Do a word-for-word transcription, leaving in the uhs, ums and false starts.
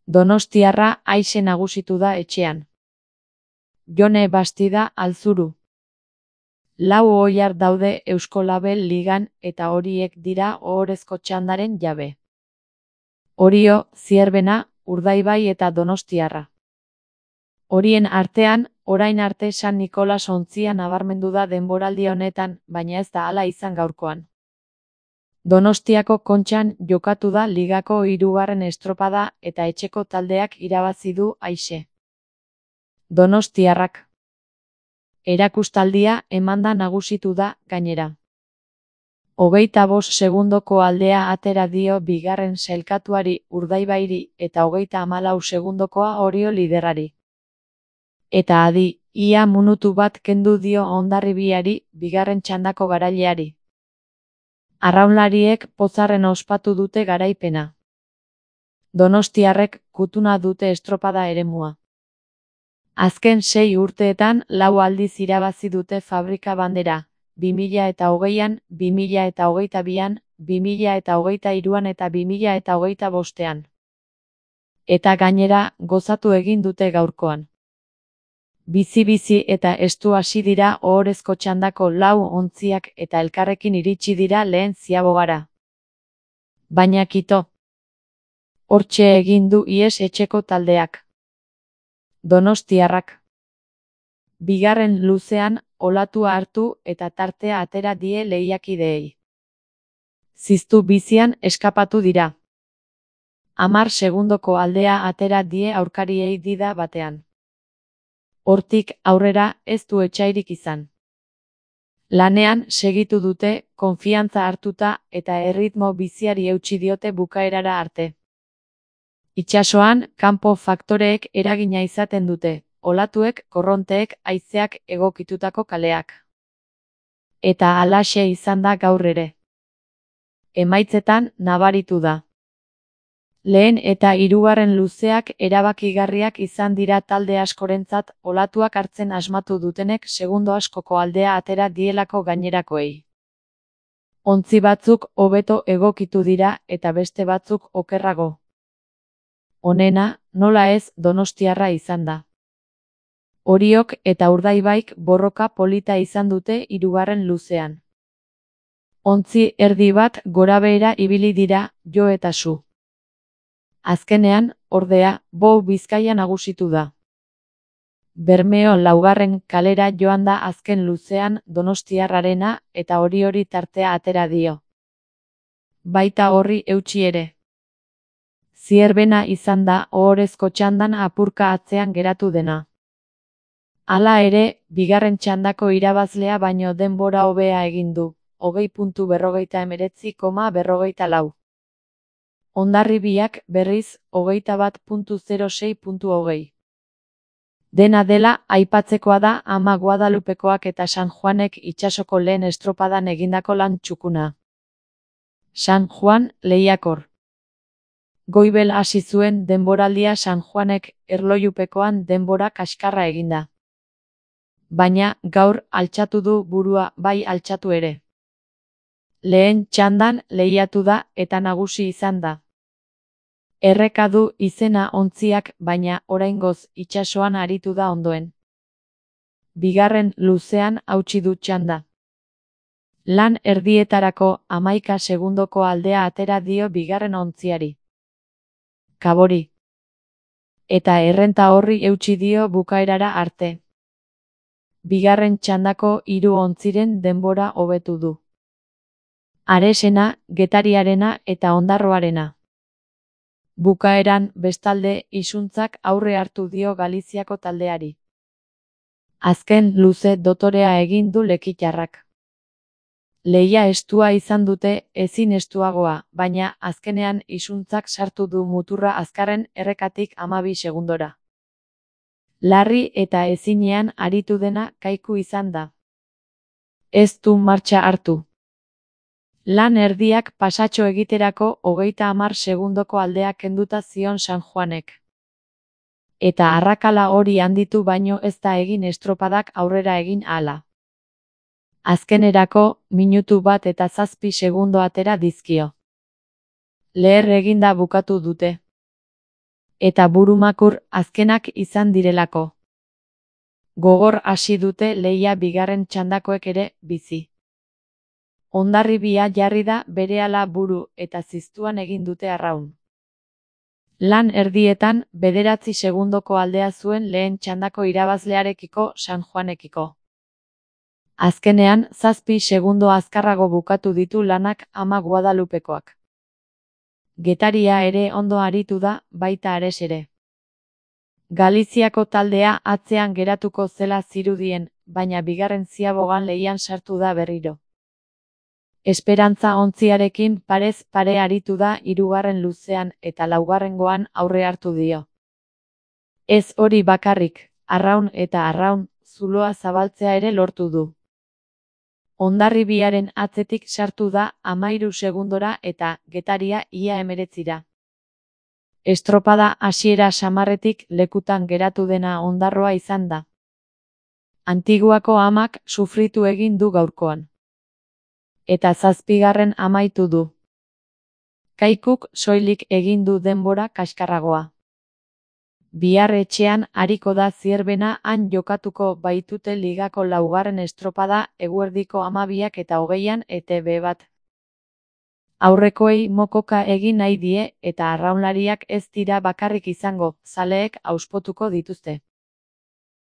Donostiarra aise nagusitu da etxean. Jone Bastida Alzuru. Lau oilar daude Euskolabel ligan eta horiek dira ohorezko txandaren jabe. Orio, Zierbena, Urdaibai eta Donostiarra. Horien artean, orain arte San Nikolas ontzia nabarmendu da denboraldi honetan, baina ez da hala izan gaurkoan. Donostiako Kontxan jokatu da ligako hirugarren estropada eta etxeko taldeak irabazi du aise. Donostiarrak. Erakustaldia emanda nagusitu da, gainera. Hogeita bost segundoko aldea atera dio bigarren sailkatuari Urdaibairi eta hogeita hamalau segundokoa Orio liderrari. Eta adi, ia minutu bat kendu dio Hondarribiari, bigarren txandako garaileari. Arraunlariek pozarren ospatu dute garaipena. Donostiarrek kutuna dute estropada eremua. Azken sei urteetan lau aldiz irabazi dute Fabrika bandera, bi mila eta hogeian, bi mila eta hogeita bian, bi mila eta hogeita hiruan eta bi mila eta hogeita bostean. Eta gainera, gozatu egin dute gaurkoan. Bizi-bizi eta estu hasi dira ohorezko txandako lau ontziak eta elkarrekin iritsi dira lehen ziabogara. Baina kito. Hortxe egin du ihes etxeko taldeak. Donostiarrak. Bigarren luzean, olatua hartu eta tartea atera die lehiakideei. Ziztu bizian eskapatu dira. Hamar segundoko aldea atera die aurkariei dida batean. Hortik aurrera ez du etsairik izan. Lanean segitu dute, konfiantza hartuta eta erritmo biziari eutsi diote bukaerara arte. Itsasoan, kanpo faktoreek eragina izaten dute, olatuek, korronteek, haizeak egokitutako kaleak. Eta halaxe izan da gaur ere. Emaitzetan nabaritu da. Lehen eta hirugarren luzeak erabakigarriak izan dira talde askorentzat, olatuak hartzen asmatu dutenek segundo askoko aldea atera dielako gainerakoei. Ontzi batzuk hobeto egokitu dira eta beste batzuk okerrago. Honena, nola ez, Donostiarra izan da. Oriok eta Urdaibaik borroka polita izan dute hirugarren luzean. Ontzi erdi bat gorabehera ibili dira, jo eta su. Azkenean, ordea, Bou Bizkaia nagusitu da. Bermeo laugarren kalera joan da azken luzean Donostiarrarena eta hori hori tartea atera dio. Baita horri eutsi ere. Zierbena izan da ohorezko txandan apurka atzean geratu dena. Hala ere, bigarren txandako irabazlea baino denbora hobea egin du, hogei puntu berrogeita hemeretzi koma berrogeita lau. Hondarribiak berriz, hogeita bat puntu zero sei puntu hogei. Dena dela, aipatzekoa da ama Guadalupekoak eta San Juanek itsasoko lehen estropadan egindako lan txukuna. San Juan, lehiakor. Goibel hasi zuen denboraldia San Juanek erlojupekoan denbora kaskarra eginda. Baina, gaur altxatu du burua bai altxatu ere. Lehen txandan lehiatu da eta nagusi izan da. Erreka du izena ontziak, baina oraingoz itsasoan aritu da ondoen. Bigarren luzean hautsi du txanda. Lan erdietarako hamaika segundoko aldea atera dio bigarren ontziari. Kabori. Eta errenta horri eutsi dio bukaerara arte. Bigarren txandako hiru ontziren denbora hobetu du. Aresena, Getariarena eta Ondarroarena. Bukaeran, bestalde, isuntzak aurre hartu dio Galiziako taldeari. Azken luze dotorea egin du lekitarrak. Lehia estua izan dute, ezin estuagoa, baina azkenean isuntzak sartu du muturra azkarren errekatik hamabi segundora. Larri eta ezinean aritu dena kaiku izan da. Ez du martxa hartu. Lan erdiak pasatxo egiterako hogeita hamar segundoko aldea kenduta zion San Juanek. Eta arrakala hori handitu baino ez da egin estropadak aurrera egin ahala. Azkenerako, minutu bat eta zazpi segundo atera dizkio. Leher eginda bukatu dute. Eta burumakur azkenak izan direlako. Gogor hasi dute lehia bigarren txandakoek ere bizi. Hondarribia jarri da berehala buru eta ziztuan egin dute arraun. Lan erdietan bederatzi segundoko aldea zuen lehen txandako irabazlearekiko San Juanekiko. Azkenean zazpi segundo azkarrago bukatu ditu lanak ama Guadalupekoak. Getaria ere ondo aritu da, baita Ares ere. Galiziako taldea atzean geratuko zela zirudien, baina bigarren ziabogan lehian sartu da berriro. Esperantza ontziarekin parez pare aritu da hirugarren luzean eta laugarrengoan aurre hartu dio. Ez hori bakarrik, arraun eta arraun, zuloa zabaltzea ere lortu du. Hondarribiaren atzetik sartu da hamahiru segundora eta Getaria ia hemeretzira. Estropada hasiera samarretik lekutan geratu dena Ondarroa izan da. Antiguako amak sufritu egin du gaurkoan. Eta zazpigarren amaitu du. Kaikuk soilik egin du denbora kaskarragoa. Bihar etxean ariko da Zierbena han jokatuko baitute ligako laugarren estropada eguerdiko hamabiak eta hogeian E T B bat. Aurrekoei mokoka egin nahi die eta arraunlariak ez dira bakarrik izango, zaleek auspotuko dituzte.